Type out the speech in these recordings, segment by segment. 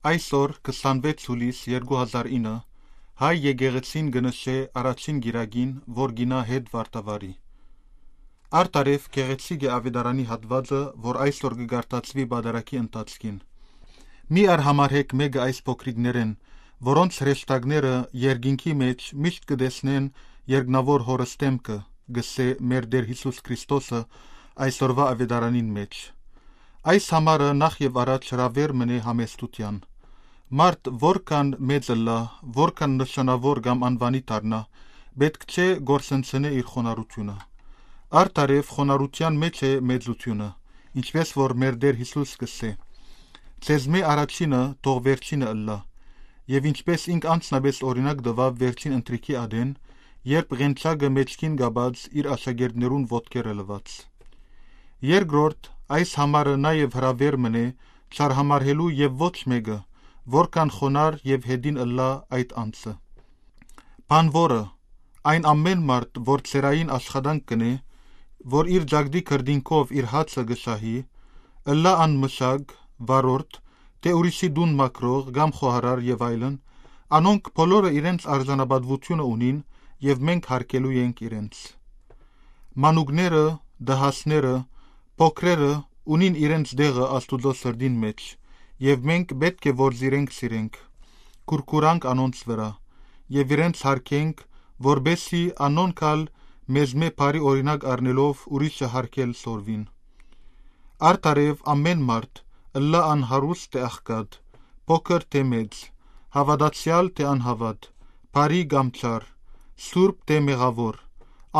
Այսօր 26 հուլիս 2009 հայ եկեղեցին գնշե առաջին գիրագին, որ գինա հետ վարտավարի։ Արտարև գեղեցիկ է ավետարանի հատվածը, որ այսօր կգարտացվի բադարակի ընթացքին։ Մի արհամարհեք մեկը այս փոքրիկներեն, որոնց հրեշտակները երկինքի մեջ միշտ կտեսնեն երկնավոր հորստեմքը, գսե մեր Տեր Հիսուս Քրիստոսը այսօրվա ավետարանին մեջ։ Այս համարը նախ եւ առաջ հրավեր մնե համեստության։ Մարդ որքան մեծը լա, որքան նշանավոր կամ անվանի դառնա, պետք չէ գործընծնե իր խոնարհությունը։ Արտարև խոնարհության մեջ է մեծությունը, ինչպես որ մեր Տեր Հիսուս կսե. «Ձեզմե առաջինը թող վերջինը ըլլա», եւ ինչպես ինք անձնապես օրինակ տվավ վերջին ընթրիքի ադեն, երբ ղենչակը մեջքին գաբած իր աշակերտներուն ոտքերը լված։ Երկրորդ, այս համարը նաև հրավեր մնե չարհամարհելու եւ ոչ մեկը, որքան խոնար եւ հետին ըլլա այդ անձը։ Բանվորը, այն ամեն մարդ, որ ցերային աշխատանք կնե, որ իր ջագդի քրդինքով իր հացը գշահի, ըլլա անմշակ, վարորդ, թե ուրիշի դուն մակրող կամ խոհարար եւ այլն, անոնք բոլորը իրենց արժանապատվությունը ունին եւ մենք հարգելու ենք իրենց։ Մանուկները, դահասները, փոքրերը ունին իրենց դեղը Աստուծո սրդին մեջ, եւ մենք պետք է որ զիրենք սիրենք, կուրկուրանք անոնց վրա, եւ իրենց հարգենք, որբեսի անոնքալ մեզմե բարի օրինակ առնելով ուրիշը հարգել սորվին։ Արտարև ամեն մարդ, ըլլա անհարուստ թե աղքատ, փոքր թե մեծ, հավատացյալ թե անհավատ, բարի կամ չար, սուրբ թե մեղավոր,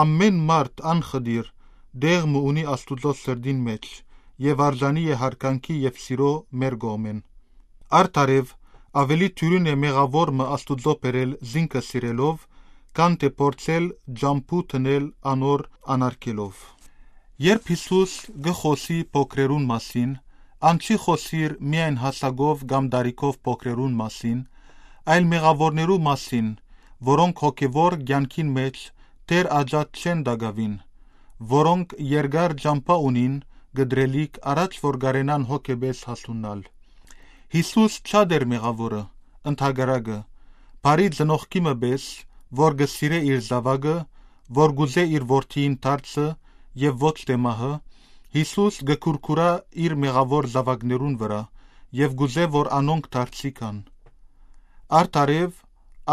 ամեն մարդ անխդիր, դեղմ ունի Աստուծո սրդին մեջ, եւ արժանի է հարգանքի եւ սիրո մեր գոմեն։ Արտարև ավելի թյուրին է մեղավորը Աստուծո բերել զինքը սիրելով, քան թե փորձել ջամփու տնել անոր անարգելով։ Երբ Հիսուս գխոսի փոքրերուն մասին, անչի խոսիր միայն հասակով կամ դարիքով փոքրերուն մասին, այլ մեղավորներու մասին, որոնք հոգևոր կյանքին մեջ դեռ աջած չեն դագավին, որոնք երկար ջամփա ունին գդրելիք առաջ որ գարենան հոգեբես հասունալ։ Հիսուս շատ էր մեղավորը, ընդհակարակը, բարի ծնողքի մպես, որ գսիրե իր զավակը, որ գուզե իր որդին դարձը եւ ոչ թե մահը, Հիսուս գկուրկուրա իր մեղավոր զավակներուն վրա եւ գուզե որ անոնք դարձիկան։ Արտարև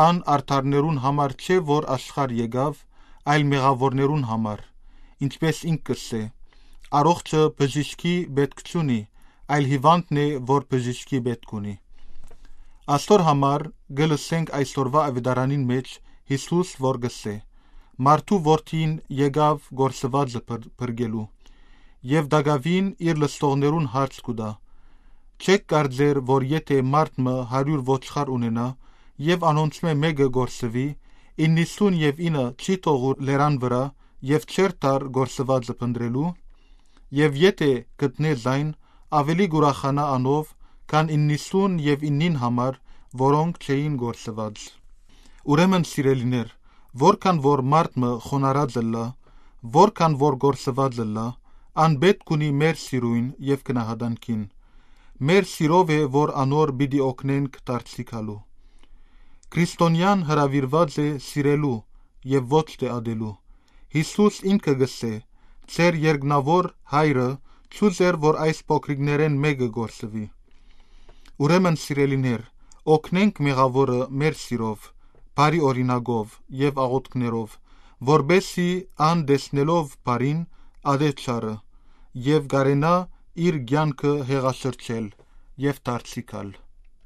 ան արդարներուն համար չէ որ աշխարհ եկավ, այլ մեղավորներուն համար, ինչպես ինք կսե. առողջը բժիշկի պետք չունի, այլ հիվանդն է, որ բժիշկի պետք ունի։ Աստոր համար գլսենք այսօրվա ավետարանին մեջ Հիսուս որ գսե. մարդու որդին եկավ գործվածը բրգելու, եւ դագավին իր լստողներուն հարց կուտա։ Չեք կարծեր, որ եթե մարդը 100 ոչխար ունենա, եւ անոնցմե մեկը գործվի, 99 չի թողուր լերան վրա եւ չեր տար գործվածը փնտրելու, եւ եթե գտնե զայն, ավելի գուրախանա անով, քան 99 համար, որոնք չէին գործված։ Ուրեմն սիրելիներ, որքան որ մարդը խոնարհած լա, որքան որ գործված լա, անպետք ունի մեր սիրույն եւ գնահատանքին։ Մեր սիրով է, որ անոր պիտի օգնենք դարձիկալու։ Քրիստոնյան հրավիրված է սիրելու եւ ոչ թե ադելու։ Հիսուս ինքը գսե. «Ձեր երկնավոր հայրը չուզեր, որ այս փոքրիկներեն մեկը գործվի»։ Ուրեմն սիրելիներ, օգնենք մեղավորը մեր սիրով, բարի օրինակով եւ աղոթքներով, որբեսի ան տեսնելով բարին ադե չարը եւ գարենա իր կյանքը հեղաշրջել եւ դարձիկալ։